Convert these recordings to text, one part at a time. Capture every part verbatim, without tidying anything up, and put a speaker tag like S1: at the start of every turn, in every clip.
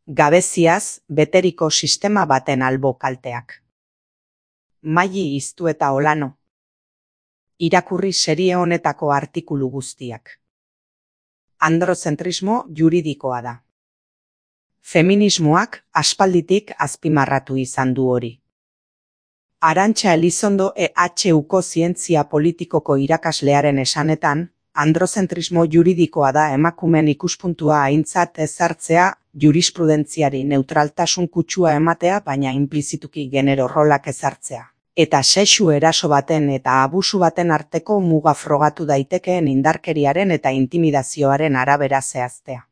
S1: Gabeziaz beteriko sistema baten albo kalteak. Maili Iztu eta Olano. Irakurri serie honetako artikulu guztiak. Androzentrismo juridikoa da. Feminismoak aspalditik azpimarratu izan du hori. Arantxa Elizondo E H Uko zientzia politikoko irakaslearen esanetan, androzentrismo juridikoa da emakumeen ikuspuntua aintzat ezartzea, jurisprudentziari neutraltasun kutsua ematea baina inplizituki genero rolak ezartzea. Eta sexu eraso baten eta abusu baten arteko muga frogatu daitekeen indarkeriaren eta intimidazioaren arabera zehaztea.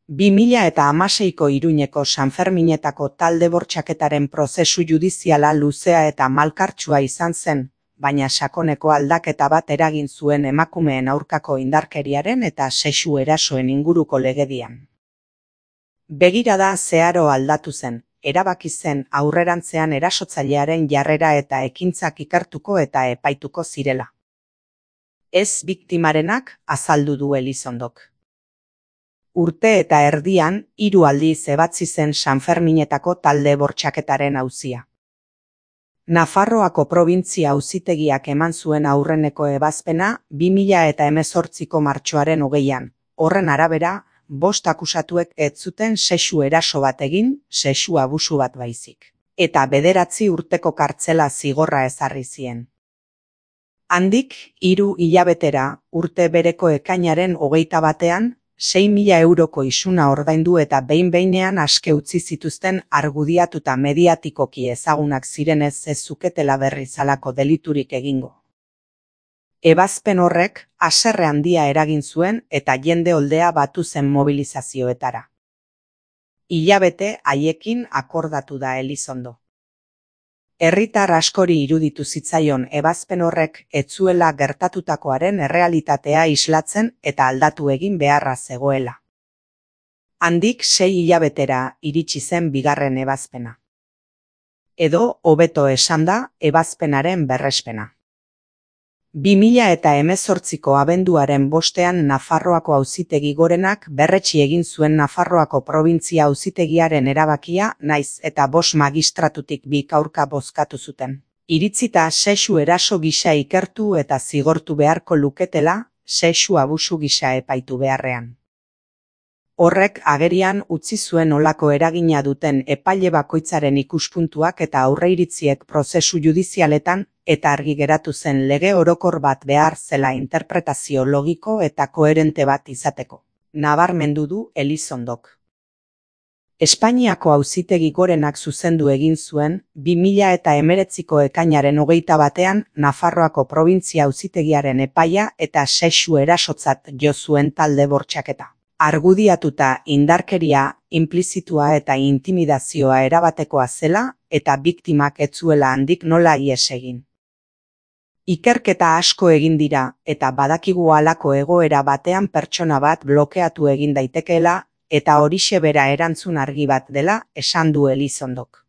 S1: bi mila hamaseiko Iruñeko Sanferminetako talde bortxaketaren prozesu judiziala luzea eta malkartsua izan zen, baina sakoneko aldaketa bat eragin zuen emakumeen aurkako indarkeriaren eta sexu erasoen inguruko legedian. Begirada zeharo aldatu zen, erabaki zen aurrerantzean erasotzailearen jarrera eta ekintzak ikertuko eta epaituko zirela. Ez biktimarenak, azaldu du Elizondok. Urte eta erdian, hiru aldiz ebatzi zen Sanferminetako talde bortxaketaren auzia. Nafarroako probintzia auzitegiak eman zuen aurreneko ebazpena bi mila hemezortziko martxoaren hogeian. Horren arabera, bost akusatuek ez zuten sexu eraso bat egin, sexu abusu bat baizik. Eta bederatzi urteko kartzela zigorra ezarri zien. Handik, hiru hilabetera, urte bereko ekainaren hogeita batean, sei mila euroko isuna ordaindu eta behin-behinean aske utzi zituzten argudiatuta mediatikoki ezagunak zirenez ez zuketela berriz halako deliturik egingo. Ebazpen horrek haserre handia eragin zuen eta jende oldea batu zen mobilizazioetara. Hilabete haiekin akordatu da Elizondo. Herritar askori iruditu zitzaion ebazpen horrek ez zuela gertatutakoaren errealitatea islatzen eta aldatu egin beharra zegoela. Handik sei hilabetera iritsi zen bigarren ebazpena. Edo, hobeto esanda, ebazpenaren berrespena. bi mila hemezortziko abenduaren bostean Nafarroako auzitegi gorenak berretsi egin zuen Nafarroako probintzia auzitegiaren erabakia naiz eta bost magistratutik bik aurka bozkatu zuten. Iritzita sexu eraso gisa ikertu eta zigortu beharko luketela, sexu abusu gisa epaitu beharrean. Horrek agerian utzi zuen olako eragina duten epaile bakoitzaren ikuspuntuak eta aurreiritziek prozesu judizialetan eta argi geratu zen lege orokor bat behar zela interpretazio logiko eta koherente bat izateko. Nabarmendu du Elizondok. Espainiako auzitegi gorenak zuzendu egin zuen, bi mila hemeretziko ekainaren hogeita batean Nafarroako probintzia auzitegiaren epaia eta sexu erasotzat jo zuen talde bortxaketa. Argudiatuta indarkeria, inplizitua eta intimidazioa erabatekoa zela eta biktimak ez zuela handik nola ihes egin. Ikerketa asko egin dira eta badakigu halako egoera batean pertsona bat blokeatu egin daitekeela eta horixe bera erantzun argi bat dela esan du Elizondok.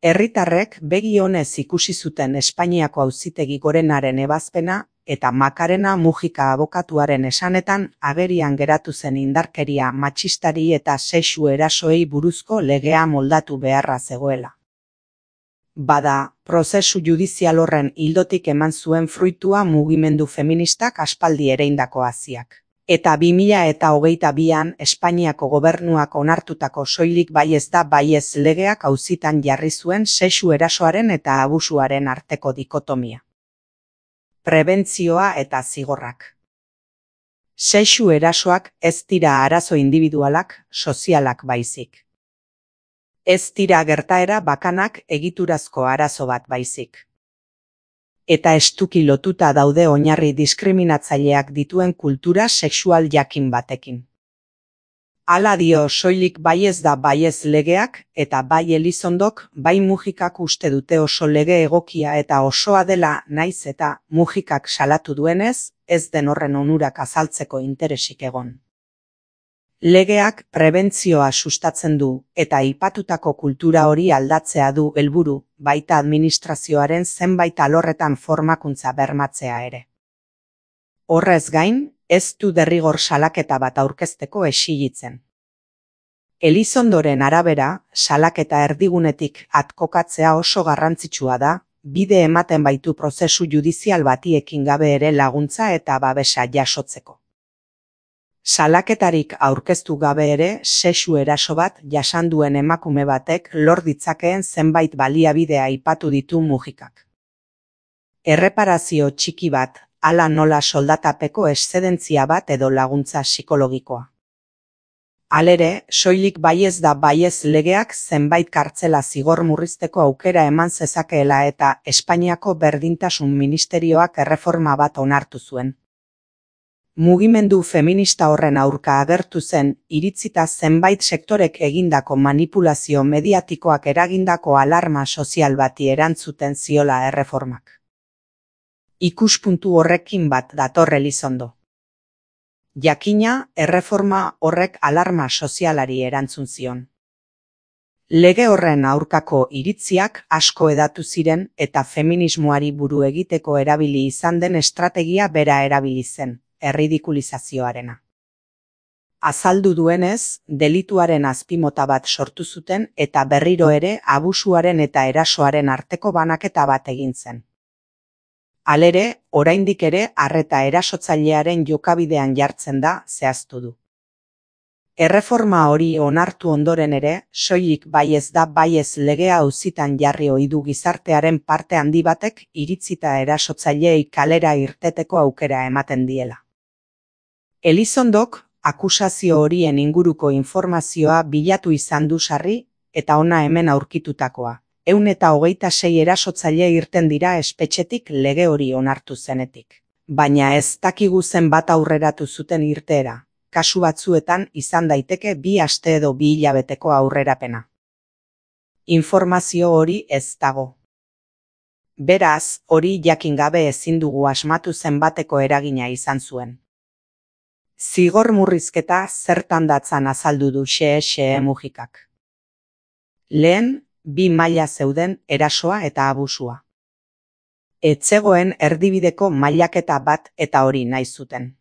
S1: Herritarrek begi onez ikusi zuten Espainiako auzitegi gorenaren ebazpena eta Makarena Mujika abokatuaren esanetan agerian geratu zen indarkeria matxistari eta sexu erasoei buruzko legea moldatu beharra zegoela. Bada, prozesu judizial horren ildotik eman zuen fruitua mugimendu feministak aspaldi ereindako haziak. Eta bi mila hogeita bian Espainiako gobernuak onartutako soilik baiez da baiez legeak auzitan jarri zuen sexu erasoaren eta abusuaren arteko dikotomia. Prebentzioa eta zigorrak. Sexu erasoak ez dira arazo individualak, sozialak baizik. Ez dira gertaera bakanak egiturazko arazo bat baizik. Eta estuki lotuta daude oinarri diskriminatzaileak dituen kultura sexual jakin batekin. Hala dio soilik baiez da baiez legeak eta bai Elizondok bai Mujikak uste dute oso lege egokia eta osoa dela naiz eta Mujikak salatu duenez, ez den horren onurak azaltzeko interesik egon. Legeak prebentzioa sustatzen du eta aipatutako kultura hori aldatzea du helburu, baita administrazioaren zenbait alorretan formakuntza bermatzea ere. Horrez gain, ez du derrigor salaketa bat aurkezteko exilitzen. Elizondoren arabera, salaketa erdigunetik at kokatzea oso garrantzitsua da, bide ematen baitu prozesu judizial bati ekin gabe ere laguntza eta babesa jasotzeko. Salaketarik aurkeztu gabe ere, sexu eraso bat jasan duen emakume batek lor ditzakeen zenbait baliabide aipatu ditu Mujikak. Erreparazio txiki bat, hala nola soldatapeko eszedentzia bat edo laguntza psikologikoa. Halere, soilik baiez da baiez legeak zenbait kartzela zigor murrizteko aukera eman zezakeela eta Espainiako Berdintasun Ministerioak erreforma bat onartu zuen. Mugimendu feminista horren aurka agertu zen, iritzita zenbait sektorek egindako manipulazio mediatikoak eragindako alarma sozial bati erantzuten ziola erreformak. Ikuspuntu horrekin bat dator Elizondo. Jakina, erreforma horrek alarma sozialari erantzun zion. Lege horren aurkako iritziak asko hedatu ziren eta feminismoari buru egiteko erabili izan den estrategia bera erabili zen, erridikulizazioarena. Azaldu duenez, delituaren azpimota bat sortu zuten eta berriro ere abusuaren eta erasoaren arteko banaketa bat egin zen. Halere, oraindik ere arreta erasotzailearen jokabidean jartzen da zehaztu du. Erreforma hori onartu ondoren ere, soilik baiez da baiez legea auzitan jarri ohi du gizartearen parte handi batek iritzita erasotzaileei kalera irteteko aukera ematen diela. Elizondok akusazio horien inguruko informazioa bilatu izan du sarri eta hona hemen aurkitutakoa. Ehun eta hogeita sei erasotzaile irten dira espetxetik lege hori onartu zenetik. Baina ez dakigu zenbat aurreratu zuten irteera, kasu batzuetan izan daiteke bi aste edo bi hilabeteko aurrerapena. Informazio hori ez dago. Beraz, hori jakin gabe ezin dugu asmatu zenbateko eragina izan zuen. Zigor murrizketa zertan datzan azaldu du xe-xe Mujikak. Lehen, bi maila zeuden erasoa eta abusua. Ez zegoen erdibideko mailaketa bat eta hori nahi zuten.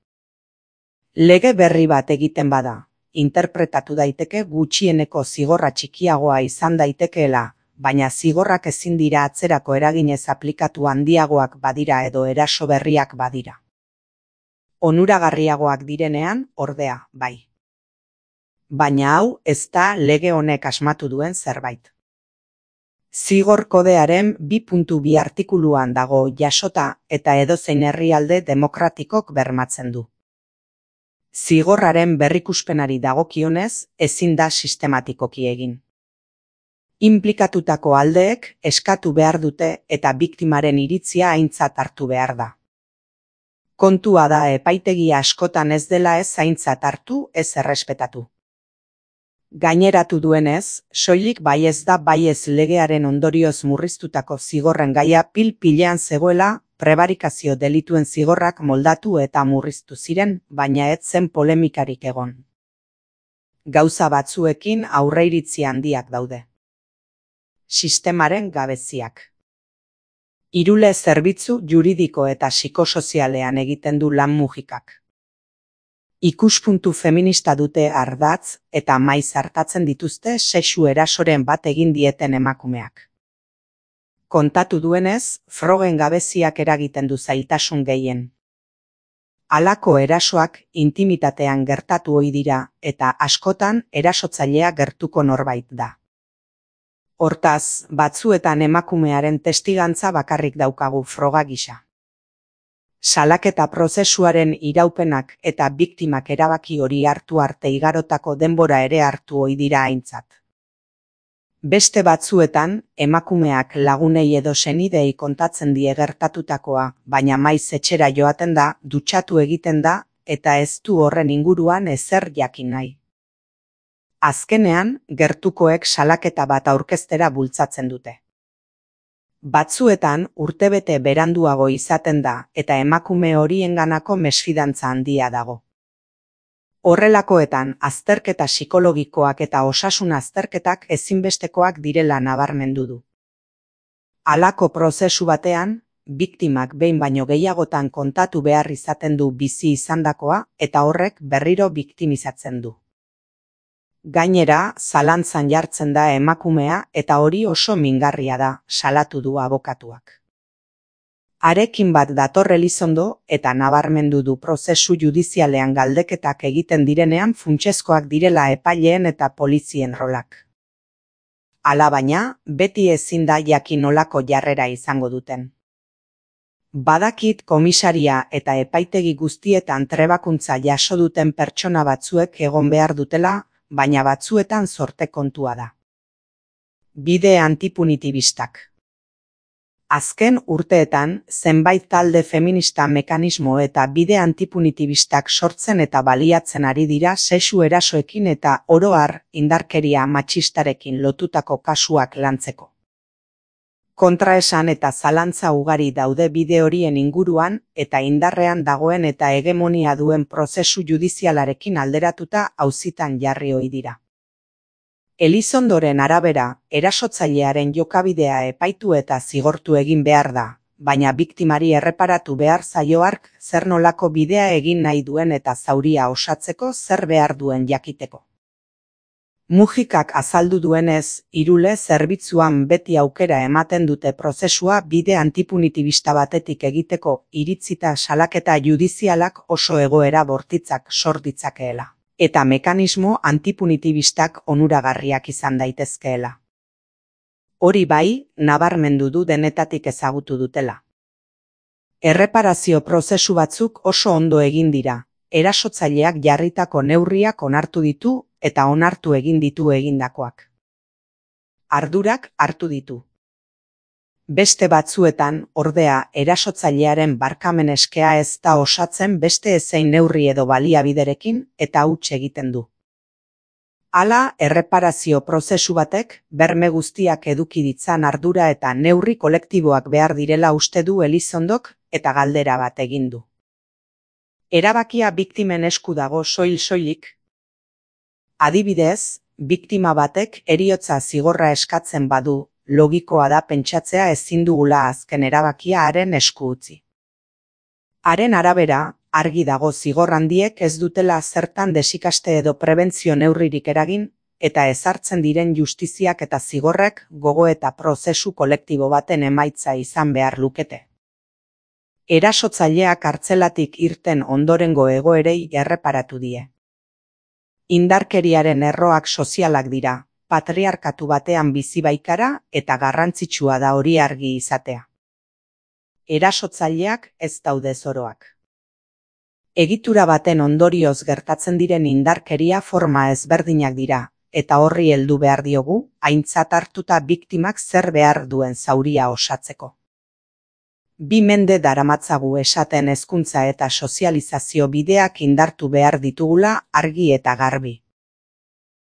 S1: Lege berri bat egiten bada, interpretatu daiteke gutxieneko zigorra txikiagoa izan daitekeela, baina zigorrak ezin dira atzerako eraginez aplikatu handiagoak badira edo eraso berriak badira. Onuragarriagoak direnean, ordea, bai. Baina hau ez da lege honek asmatu duen zerbait. Zigor kodearen bi puntu bi artikuluan dago jasota eta edozein herrialde demokratikok bermatzen du. Zigorraren berrikuspenari dagokionez ezin da sistematikoki egin. Inplikatutako aldeek eskatu behar dute eta biktimaren iritzia aintzat hartu behar da. Kontua da epaitegi askotan ez dela ez aintzat hartu ez errespetatu. Gaineratu duenez, soilik baiez da baiez legearen ondorioz murriztutako zigorren gaia pil-pilean zegoela, prebarikazio delituen zigorrak moldatu eta murriztu ziren, baina ez zen polemikarik egon. Gauza batzuekin aurreiritzi handiak daude. Sistemaren gabeziak. Irule zerbitzu juridiko eta psikosozialean egiten du lan Mujikak. Ikuspuntu feminista dute ardatz eta maiz hartatzen dituzte sexu erasoren bat egin dieten emakumeak. Kontatu duenez, frogen gabeziak eragiten du zailtasun gehien. Halako erasoak intimitatean gertatu ohi dira eta askotan erasotzailea gertuko norbait da. Hortaz, batzuetan emakumearen testigantza bakarrik daukagu froga gisa. Salaketa prozesuaren iraupenak eta biktimak erabaki hori hartu arte igarotako denbora ere hartu ohi dira aintzat. Beste batzuetan, emakumeak lagunei edo senidei kontatzen die gertatutakoa, baina maiz etxera joaten da, dutxatu egiten da, eta ez du horren inguruan ezer jakin nahi. Azkenean, gertukoek salaketa bat aurkeztera bultzatzen dute. Batzuetan urtebete beranduago izaten da eta emakume horienganako mesfidantza handia dago. Horrelakoetan azterketa psikologikoak eta osasun azterketak ezinbestekoak direla nabarmendu du. Halako prozesu batean, biktimak behin baino gehiagotan kontatu behar izaten du bizi izandakoa eta horrek berriro biktimizatzen du. Gainera, zalantzan jartzen da emakumea eta hori oso mingarria da, salatu du abokatuak. Harekin bat dator Elizondo eta nabarmendu du prozesu judizialean galdeketak egiten direnean funtsezkoak direla epaileen eta polizien rolak. Alabaina, beti ezin da jakin nolako jarrera izango duten. Badakit komisaria eta epaitegi guztietan trebakuntza jaso duten pertsona batzuek egon behar dutela, baina batzuetan zorte kontua da. Bide antipunitibistak. Azken urteetan, zenbait talde feminista mekanismo eta bide antipunitibistak sortzen eta baliatzen ari dira sexu erasoekin eta oro har indarkeria matxistarekin lotutako kasuak lantzeko. Kontraesan eta zalantza ugari daude bide horien inguruan eta indarrean dagoen eta hegemonia duen prozesu judizialarekin alderatuta auzitan jarri ohi dira. Elizondoren arabera, erasotzailearen jokabidea epaitu eta zigortu egin behar da, baina biktimari erreparatu behar zaio hark zer nolako bidea egin nahi duen eta zauria osatzeko zer behar duen jakiteko. Mujikak azaldu duenez, Irule zerbitzuan beti aukera ematen dute prozesua bide antipunitibista batetik egiteko iritzita salaketa judizialak oso egoera bortitzak sor ditzakeela, eta mekanismo antipunitibistak onuragarriak izan daitezkeela. Hori bai, nabarmendu du denetatik ezagutu dutela. Erreparazio prozesu batzuk oso ondo egin dira, erasotzaileak jarritako neurriak onartu ditu eta onartu egin ditu egindakoak. Ardurak hartu ditu. Beste batzuetan, ordea, erasotzailearen barkamen eskea ez da osatzen beste ezein neurri edo baliabiderekin eta huts egiten du. Hala, erreparazio prozesu batek, berme guztiak eduki ditzan ardura eta neurri kolektiboak behar direla uste du Elizondok eta galdera bat egin du. Erabakia biktimen esku dago soil-soilik. Adibidez, biktima batek heriotza zigorra eskatzen badu, logikoa da pentsatzea ezin dugula azken erabakia haren esku utzi. Haren arabera, argi dago zigor handiek ez dutela zertan desikaste edo prebentzio neurririk eragin, eta ezartzen diren justiziak eta zigorrek gogo eta prozesu kolektibo baten emaitza izan behar lukete. Erasotzaileak kartzelatik irten ondorengo egoerei erreparatu die. Indarkeriaren erroak sozialak dira, patriarkatu batean bizi baikara eta garrantzitsua da hori argi izatea. Erasotzaileak ez daude zoroak. Egitura baten ondorioz gertatzen diren indarkeria forma ezberdinak dira, eta horri heldu behar diogu, aintzat hartuta biktimak zer behar duen zauria osatzeko. Bi mende daramatzagu esaten hezkuntza eta sozializazio bideak indartu behar ditugula argi eta garbi.